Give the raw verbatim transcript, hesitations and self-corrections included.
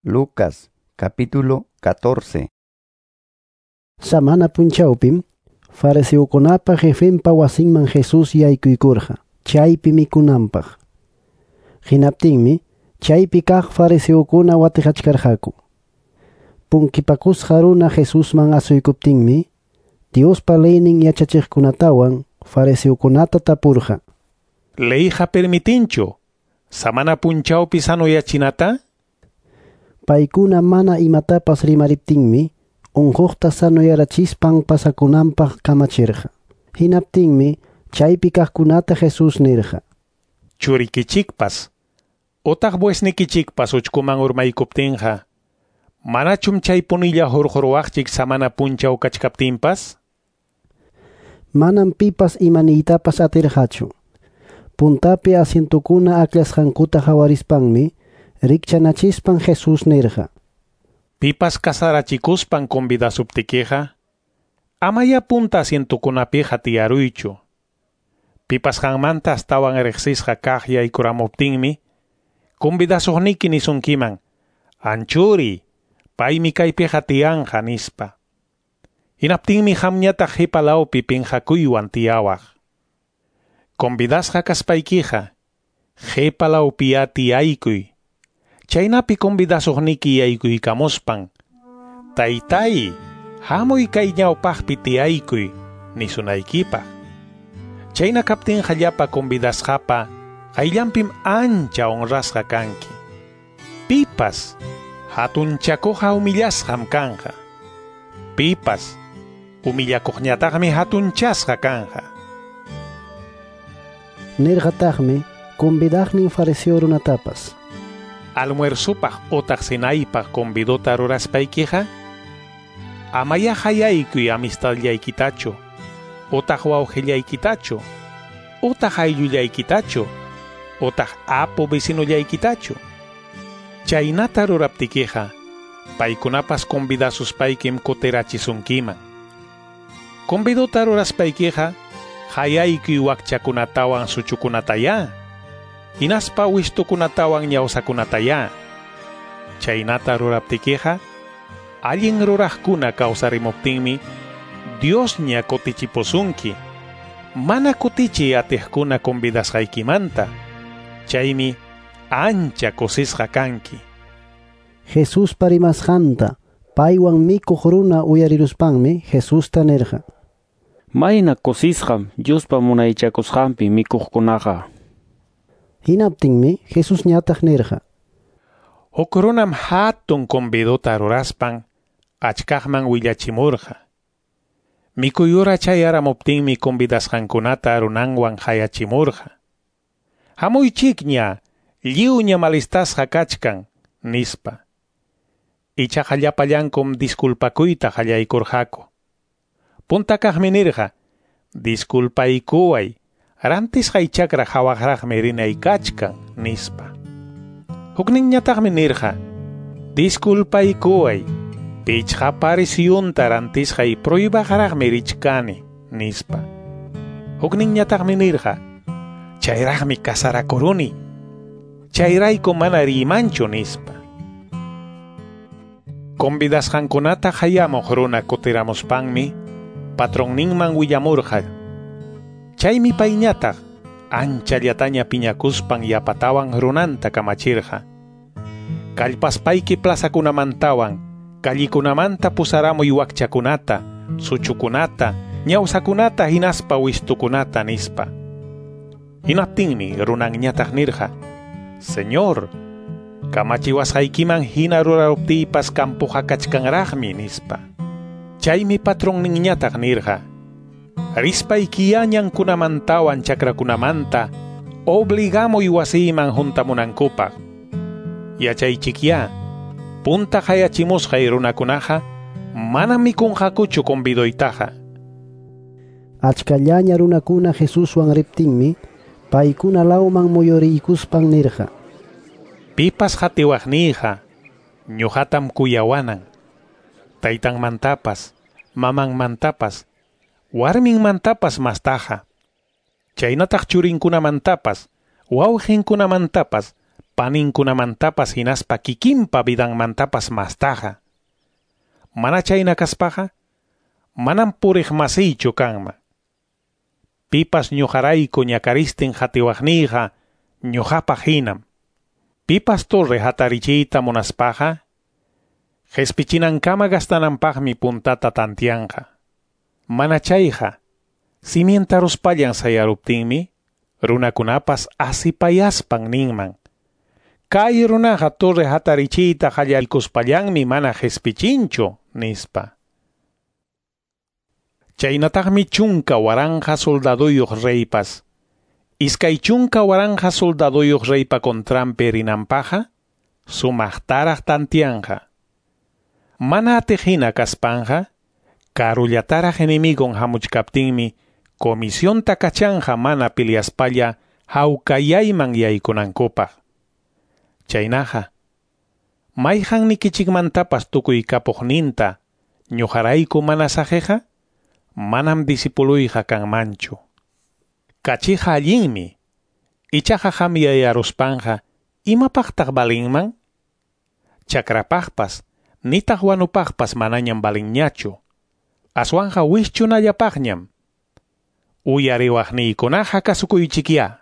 Lucas capítulo catorce. Samana punchawpim fariseokunapa jefenpa wasinman Jesús yaykuykurqa chaypi mikunanpaq. Hinaptinmi chaypi kaq fariseokuna watiqachkarqaku. Punkipakusqa runa Jesusman asuykuptinmi Diospa leynin yachachiqkunatawan fariseokunata tapurqa. Leyqa permitinchu samana punchawpi sanoyachinata? Paykuna mana imatapas rimariptinmi unquqta sanoyarachispan pasakunanpaq kamachirqa. Hinaptinmi chaypi kaqkunata Jesús nirqa: Churikichikpas utaq buesnikichikpas uchkuman urmaykuptinqa, manachum chaypunilla hurquruwaqchik samana punchaw kachkaptinpas? Manam pipas imaniytapas atirqachu. Puntapi asientukuna aklasqankuta hawarispanmi rikchanachispan Jesús nirqa: Pipas kasarachikuspan convidasuptikiqa, amaya punta asientukunapiqa tiyaruychu. Pipas qanmanta astawan riqsisqa kaq yaykuramuptinmi, convidasuqniki nisunkiman, anchuri, paymi kaypiqa tiyanqa nispa. Hinaptinmi qamñataq qhipalawpi pinqakuywan tiyawaq. Convidasqa kaspaykiqa, qhipalawpiya tiyaykuy. Chaynapi convidasuqniki yaykuykamuspan, taytay, hamuy kay ñawpaqpi tiyaykuy, nisunaykipaq. Chayna kaptinqa llapa convidasqapa qayllanpim ancha honrasqa kanki. Pipas hatunchakuqqa humillasqam kanqa. Pipas humillakuqñataqmi hatunchasqa kanqa. Nirqataqmi convidaqnin fariseo runatapas: Almuerzupaq utaq cenaypaq convidota ruraspaykiqa, amaya hayaykuy amistadllaykitachu, utaq wawqillaykitachu, utaq ayllullaykitachu, utaq apu vecinollaykitachu. Chaynata ruraptikiqa, paykunapas convidasuspaykim kutirachisunkiman. Convidota ruraspaykiqa, hayaykuy wakchakunatawan suchukunataya, hinaspa wistukunatawan ñawsakunataya. Chaynata ruraptikiqa, allin ruraqkuna kawsarimuptinmi Diosña kutichipusunki, mana kutichiy atiqkuna convidasqaykimanta. Chaymi ancha kusisqa kanki. Jesuspa rimasqanta paywan mikuq runa uyariruspanmi Jesusta nirqa: Mayna kusisqam Diospa munaychakusqanpi mikuqkunaqa. Hinaptinmi Jesusñataq nirqa: Huk runam hatun convidota ruraspan achkaqman willachimurqa. Mikuyura chayaramuptinmi convidasqankunata runanwan hayachimurqa. Hamuychikña, lliwña malistasqa kachkan, nispa. Ichaqa llapallankum disculpakuyta qallaykurqaku. Punta kaqmi nirqa: disculpaykuway, rantisqay chakra hawaqraqmi rinay kachkan, nispa. Hukninñataqmi nirqa: disculpaykuway, pichqa parisyunta rantisqay pruybaqraqmi richkani, nispa. Hukninñataqmi nirqa: chayraqmi kasarakuruni, chayrayku mana riymanchu, nispa. Convidasqankunata hayamuq runa kutiramuspanmi patronninman willamurqa. Chaymi payñataq anchallataña piñakuspan yapatawan runanta kamachirqa: kallpaspayki plazakunamantawan callikunamanta pusaramuy wakchakunata, suchukunata, ñawsakunata hinaspa wistukunata, nispa. Hinaptinmi runanñataq nirqa: Señor, kamachiwasqaykiman hina ruraruptiypas kampuqa kachkanraqmi, nispa. Chaymi patronninñataq nirqa: rispaykiya ñankunamantawan chakrakunamanta obligamuy wasiyman juntamunankupaq. Yachaychikya, punta hayachimusqay runakunaqa manam mikunqakuchu convidoytaqa. Achkallaña runakuna Jesuswan riptinmi paykuna lawman muyuriykuspan nirqa: Pipas qatiwaqniyqa ñuqatam kuyawanan. Taytanmantapas, mamanmantapas, warminmantapas mastaqa. Chaynataq churinkunamantapas, wawqinkunamantapas, paninkunamantapas hinaspa kikinpa vidanmantapas mastaqa. Mana chayna kaspaqa, manam puriq masiychu kanman. Pipas ñuqarayku ñakaristin hatiwaqniyqa ñuqapaq hinam. Pipas torre hatarichiyta munaspaqa, qhispichinankama gastananpaqmi puntata tantianqa. Mana chayqa, cimientaruspallan sayaruptinmi, runakunapas asipayaspan ninman. Kay runaqa torre hatarichiyta qallarikuspallanmi mana qhispichinchu, nispa. Chaynataqmi chunka waranqa soldaduyuq reypas, iskay chunka waranqa soldaduyuq reypa contranpi rinanpaqqa, sumaqtaraq tantianqa. Mana atiq hina kaspanqa, karullataraq enemigon hamuchkaptinmi, comisionta kachanqa mana piliaspalla hawkayayman yaykunankupaq. Chaynaqa, mayqannikichikmantapas tukuy kapuqninta ñuqarayku mana saqiqa, manam disipuluyqa kanmanchu. Kachiqa allinmi, ichaqa hamyayaruspanqa imapaqtaq valinman? Chakrapaqpas, nitaq wanupaqpas manañam valinñachu. Aswanqa wischunallapaqñam. Uyariwaqniykunaqa kasukuychikyá.